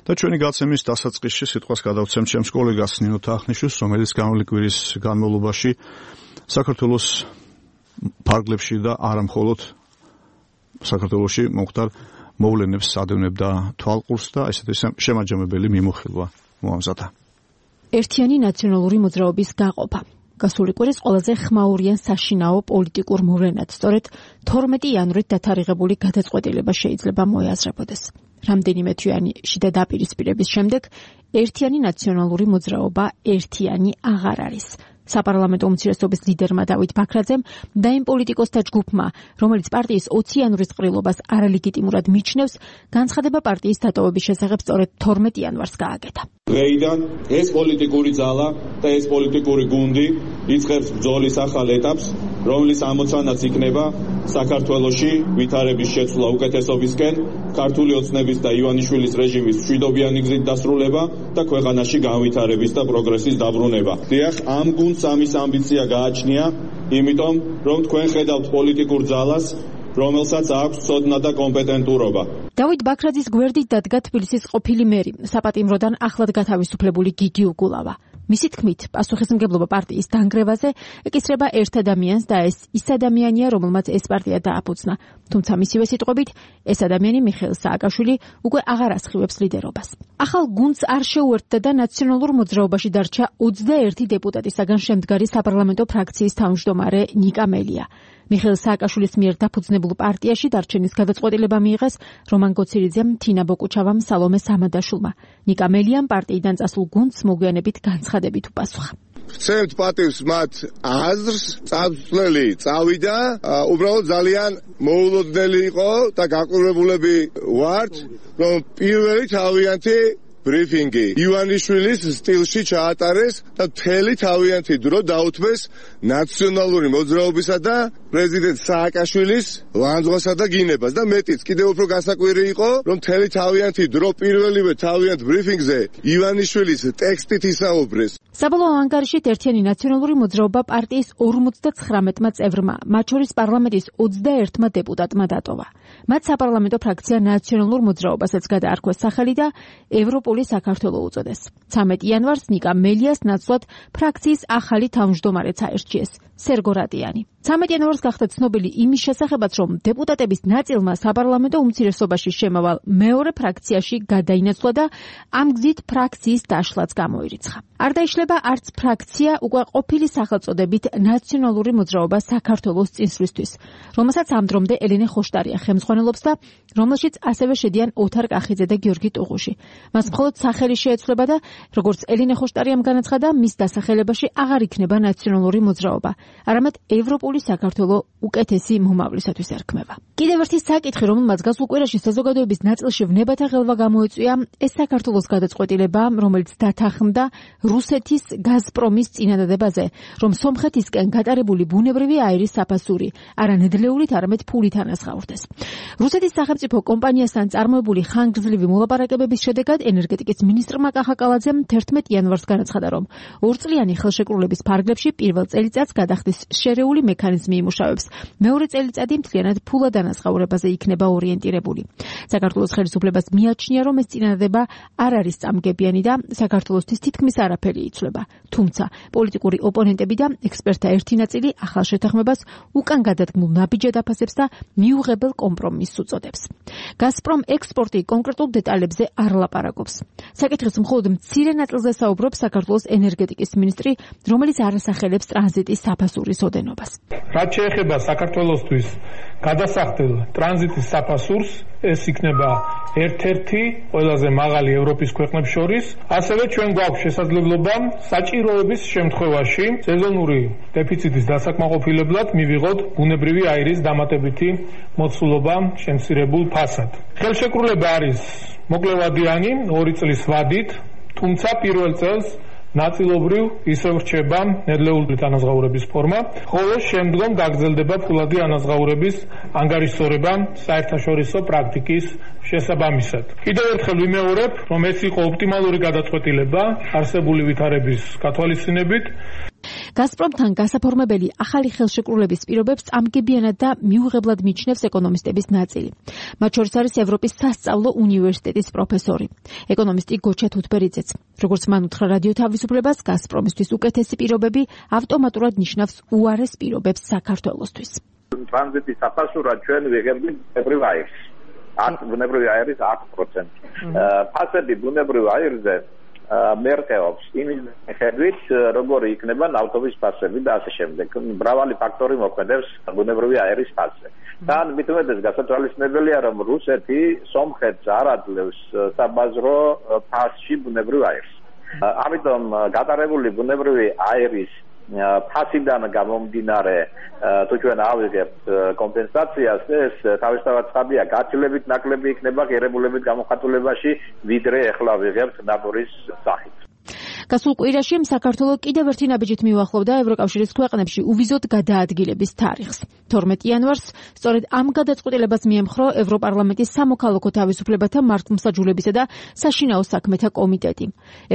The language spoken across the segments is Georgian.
და ჩვენი გაცემის დასაწყისში სიტყვას გადავცემ ჩემს კოლეგას ნინო თახნიშვილს, რომელიც გამოვლინი კვირის განმავლობაში საქართველოს ფარგლებში და არა მხოლოდ საქართველოში მომხდარ მოვლენებს ადევნებდა თვალყურს და ესეთი შემაჯამებელი მიმოხილვა მოამზადა. ერთიანი ნაციონალური მოძრაობის გაყოფა. გასული კვირის ყველაზე ხმაურიან საშინაო პოლიტიკურ მოვლენად სწორედ 12 იანვრით დათარიღებული გადაწყვეტილება შეიძლება მოეაზრებოდეს. რამდენიმე თვიანი შიდა დაპირისპირების შემდეგ ერთიანი ნაციონალური მოძრაობა ერთიანი აღარ არის. საპარლამენტო უმცირესობის ლიდერმა დავით ბაქრაძემ და იმ პოლიტიკოსთა ჯგუფმა, რომელიც პარტიის 20 იანვრის ყრილობას არალეგიტიმურად მიჩნევს, განცხადება პარტიის დატოვების შესახებ სწორედ 12 იანვარს გააკეთა. დღეიდან ეს პოლიტიკური ძალა და ეს პოლიტიკური გუნდი იწყებს ბრძოლის ახალ ეტაპს, რომლის ამოცანაც იქნება საქართველოში ვითარების შეცვლა უკეთესობისკენ, ქართული ოცნების და ივანიშვილის რეჟიმის მშვიდობიანი გზით დასრულება და ქვეყანაში განვითარების და პროგრესის დაბრუნება. დიახ, ამ გუნდს ამის ამბიცია გააჩნია, იმიტომ რომ თქვენ ხედავთ პოლიტიკურ ძალას, რომელსაც აქვს ცოდნა და კომპეტენტურობა. დავით ბაქრაძის გვერდით დადგა თბილისის ყოფილი მერი, საპატიმროდან ახლად გათავისუფლებული გიგი უგულავა. მისი თქმით, პასუხისმგებლობა პარტიის დანგრევაზე ეკისრება ერთ ადამიანს და ეს ის ადამიანია, რომელმაც ეს პარტია დააფუძნა. თუმცა მისივე სიტყვებით, ეს ადამიანი მიხეილ სააკაშვილი უკვე აღარ ასხივებს ლიდერობას. ახალ გუნდს არ შეუერთდა და ნაციონალურ მოძრაობაში დარჩა 21 დეპუტატისაგან შემდგარი საპარლამენტო ფრაქციის თავმჯდომარე ნიკა მელია. მიხეილ სააკაშვილის მიერ დაფუძნებულ პარტიაში დარჩენის გადაწყვეტილება მიიღეს რომან გოცირიძემ, თინა ბოკუჩავამ, სალომე სამადაშვილმა. ნიკა მელიამ პარტიიდან წასულ გუნდს მოგვიანებით განცხადებით უპასუხა. ვცემთ პატივს მათ აზრს, წამსვლელი წავიდა, უბრალოდ ძალიან მოულოდნელი იყო და გაყურებულები ვართ, რომ პირველი თავიანთი ბრიფინგი ივანიშვილის სტილში ჩაატარეს და მთელი თავიანთი დრო დაუთმეს ნაციონალური მოძრაობისა და პრეზიდენტ სააკაშვილის ლანძღვასა და გინებას და მეტიც კიდევ უფრო გასაკვირი იყო, რომ მთელი თავიანთი დრო პირველივე თავიანთ ბრიფინგზე ივანიშვილის ტექსტით ისაუბრეს. საბოლოო ანგარიშით ერთიანი ნაციონალური მოძრაობა პარტიის 59 წევრმა, მათ შორის პარლამენტის 21 დეპუტატმა დატოვა. მათ საპარლამენტო ფრაქცია ნაციონალურ მოძრაობასაც გადაარქვეს სახელი და ევროპული საქართველო უწოდეს. 13 იანვარს ნიკა მელიას ნაცვლად ფრაქციის ახალი თავმჯდომარეც აერჩიეს, სერგო რატიანი. 13 იანვარს გახდა ცნობილი იმის შესახებაც, რომ დეპუტატების ნაწილმა საპარლამენტო უმცირესობაში შემავალ მეორე ფრაქციაში გადაინაცვლა და ამ გზით ფრაქციის დაშლაც გამოირიცხა. არ დაიშლება არც ფრაქცია უკვე ყოფილი სახელწოდებით ნაციონალური მოძრაობა საქართველოს წინსვლისთვის, რომელსაც ამ დრომდე ელენე ხოშტარია ხელმძღვანელობს და რომელშიც ასევე შედიან ოთარ კახიძე და გიორგი ტუღუში. მას მხოლოდ სახელი შეეცვლება და როგორც ელენე ხოშტარიამ განაცხადა, მის დასახელებაში აღარ იქნება ნაციონალური მოძრაობა, არამედ ევროპული საქართველო უკეთესი მომავლისათვის ერქმევა. კიდევ ერთი საკითხი, რომელმაც გასულ კვირაში საზოგადოების ნაწილში ვნებათა ღელვა გამოეწვია, ეს საქართველოს გადაწყვეტილება, რომელიც დათანხმდა რუსეთის გაზპრომის წინადადებაზე, რომ სომხეთისკენ გატარებული ბუნებრივი აირის საფასური არა ნედლეულით, არამედ ფულით ანაზღაურდეს. რუსეთის სახელმწიფო კომპანიასთან წარმოებული ხანგრძლივი მოლაპარაკებების შედეგად ენერგეტიკის მინისტრმა კახაკალაძემ 11 იანვარს განაცხადა, რომ ორწლიანი ხელშეკრულების ფარგლებში პირველ წელიწადს გადახდის შერეული მექანიზმი იმუშავებს, მეორე წელიწადი მთლიანად ფულად ანაზღაურებაზე იქნება ორიენტირებული. საქართველოს ხელისუფლებას მიაჩნია, რომ ეს წინადადება არ არის წამგებიანი და საქართველოსთვის თითქმის არაფერი იცვლება. თუმცა პოლიტიკური ოპონენტები და ექსპერტთა ერთი ნაწილი ახალ შეთანხმებას უკან გადადგმულ ნაბიჯად აფასებს და მიუღებელ კომპრომისს უწოდებს. გაზპრომ ექსპორტი კონკრეტულ დეტალებზე არ ლაპარაკობს. საკითხის მხოლოდ მცირე ნაწილზე საუბრობს საქართველოს ენერგეტიკის მინისტრი, რომელიც არ ასახელებს ტრანზიტის საფასურის ოდენობას. რაც შეეხება საქართველოსთვის გადასახდელ ტრანზიტის საფასურს, ეს იქნება ერთ-ერთი ყველაზე მაღალი ევროპის ქვეყნებს შორის. ასევე ჩვენ გვაქვს შესაძლებლობა საჭიროების შემთხვევაში სეზონური დეფიციტის დასაკმაყოფილებლად მივიღოთ ბუნებრივი აირის დამატებითი მოცულობა შემცირებულ ფასად. ხელშეკრულება არის მოკლევადიანი 2 წლის ვადით, თუმცა პირველ წელს ნაწილობრივ ისევ რჩება ნედლეული ანაზღაურების ფორმა, ხოლო შემდგომ გაგრძელდება ფულადი ანაზღაურების ანგარიშსწორება საერთაშორისო პრაქტიკის შესაბამისად. კიდევ ერთხელ ვიმეორებ, რომ ეს იყო ოპტიმალური გადაწყვეტილება არსებული ვითარების გათვალისწინებით. გაზპრომთან გასაფორმებელი ახალი ხელშეკრულების პირობებს წამგებიანად და მიუღებლად მიჩნევს ეკონომისტების ნაწილი. მათ შორის არის ევროპის სასწავლო უნივერსიტეტის პროფესორი, ეკონომისტი გოჩა თუთბერიძეც. როგორც მან უთხრა რადიო თავისუფლებას, გაზპრომისთვის უკეთესი პირობები ავტომატურად ნიშნავს უარეს პირობებს საქართველოსთვის. ტრანზიტის საფასურად ჩვენ ვიღებდით ბუნებრივ აირს. ბუნებრივი აირის 10%. ფასები ბუნებრივ აირზე მერყეობს იმის მიხედვით, როგორი იქნება ნავთობის ფასები და ასე შემდეგ. მრავალი ფაქტორი მოქმედებს ბუნებრივი აირის ფასზე. თან მით უმეტეს გასათვალისწინებელია, რომ რუსეთი სომხეთს არ აძლევს საბაზრო ფასში ბუნებრივ აირს. ამიტომ გატარებული ბუნებრივი აირის ფასიდან გამომდინარე თუ ჩვენ ავიღებთ კომპენსაციას, ეს თავისთავად ცხადია, გაცილებით ნაკლები იქნება ღირებულებით გამოხატულებაში, ვიდრე ეხლა ვიღებთ ნატურის სახით. გასულ კვირაში საქართველო კიდევ ერთი ნაბიჯით მიუახლოვდა ევროკავშირის ქვეყნებში უვიზოდ გადაადგილების თარიღს. 12 იანვარს სწორედ ამ გადაწყვეტილებას მიემხრო ევროპარლამენტის სამოქალაქო თავისუფლებათა მართლმსაჯულებისა და საშინაო საქმეთა კომიტეტი.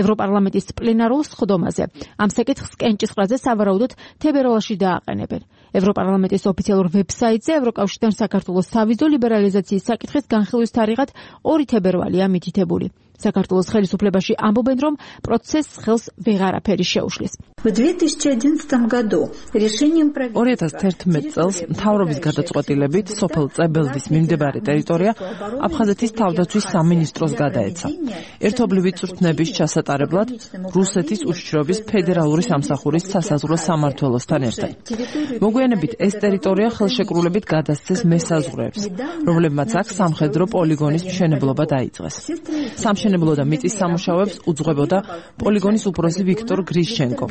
ევროპარლამენტის პლენარულ სხდომაზე ამ საკითხს კენჭისყრაზე სავარაუდოდ თებერვალში დააყენებენ. ევროპარლამენტის ოფიციალურ ვებსაიტზე ევროკავშირთან საქართველოს სავიზო ლიბერალიზაციის საკითხის განხილვის თარიღად 2 თებერვალია მითითებული. საქართველოს ხელისუფლებაში ამბობენ, რომ პროცესს ხელს ვეღარაფერი შეუშლის. 2011 წელს მთავრობის გადაწყვეტილებით სოფელ წებელდის მიმდებარე ტერიტორია აფხაზეთის თავდაცვის სამინისტროს გადაეცა. ერთობლივი წვრთნების ჩასატარებლად რუსეთის უშიშროების ფედერალური სამსახურის სასაზღვრო სამმართველოსთან ერთად. მოგვიანებით ეს ტერიტორია ხელშეკრულებით გადასცეს მესაზღვრეებს, რომლებმაც აქ სამხედრო პოლიგონის მშენებლობა დაიწყეს. სამშენებლო და მიწის სამუშაოებს უძღვებოდა პოლიგონის უფროსი ვიქტორ გრიშჩენკო.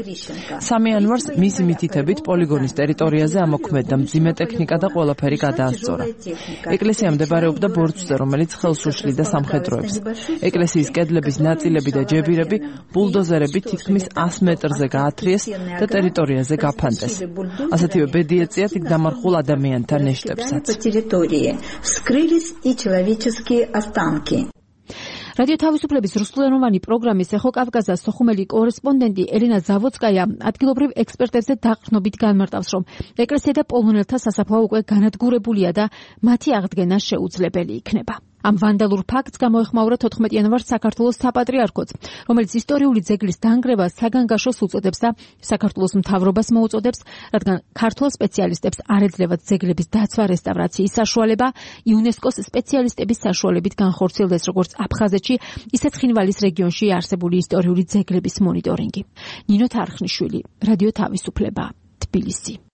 3 იანვარს მისი მითითებით პოლიგონის ტერიტორიაზე ამოქმედდა მძიმე ტექნიკა და ყველაფერი გადაასწორა. ეკლესია მდებარეობდა ბორცვზე, რომელიც ხელს უშლიდა სამხედროებს. ეკლესიის კედლების ნაწილები და ჯებირები ბულდოზერებით თითქმის 100 მეტრზე გაათრიეს და ტერიტორიაზე გაფანტეს. ასეთივე ბედი ეწიათ იქ დამარხულ ადამიანთა ნეშტებსაც. რადიო თავისუფლების რუსულენოვანი პროგრამის ეხო-კავკაზას სოხუმელი კორესპონდენტი ელენა ზავოცკაია ადგილობრივ ექსპერტებზე დაყრდნობით განმარტავს, რომ ეკლესია და პოლონელთა სასაფლაო უკვე განადგურებულია და მათი აღდგენა შეუძლებელი იქნება. ამ ვანდალურ ფაქტს გამოეხმაურა 14 იანვარს საქართველოს საპატრიარქოც, რომელიც ისტორიული ძეგლის დანგრევას საგანგაშოს უწოდებს და საქართველოს მთავრობას მოუწოდებს, რადგან ქართველ სპეციალისტებს არ ეძლევათ ძეგლების დაცვა რესტავრაციის საშუალება, იუნესკოს სპეციალისტების საშუალებით განხორციელდეს როგორც აფხაზეთში, ისე ცხინვალის რეგიონში არსებული ისტორიული ძეგლების მონიტორინგი. ნინო თარხნიშვილი, რადიო თავისუფლება, თბილისი.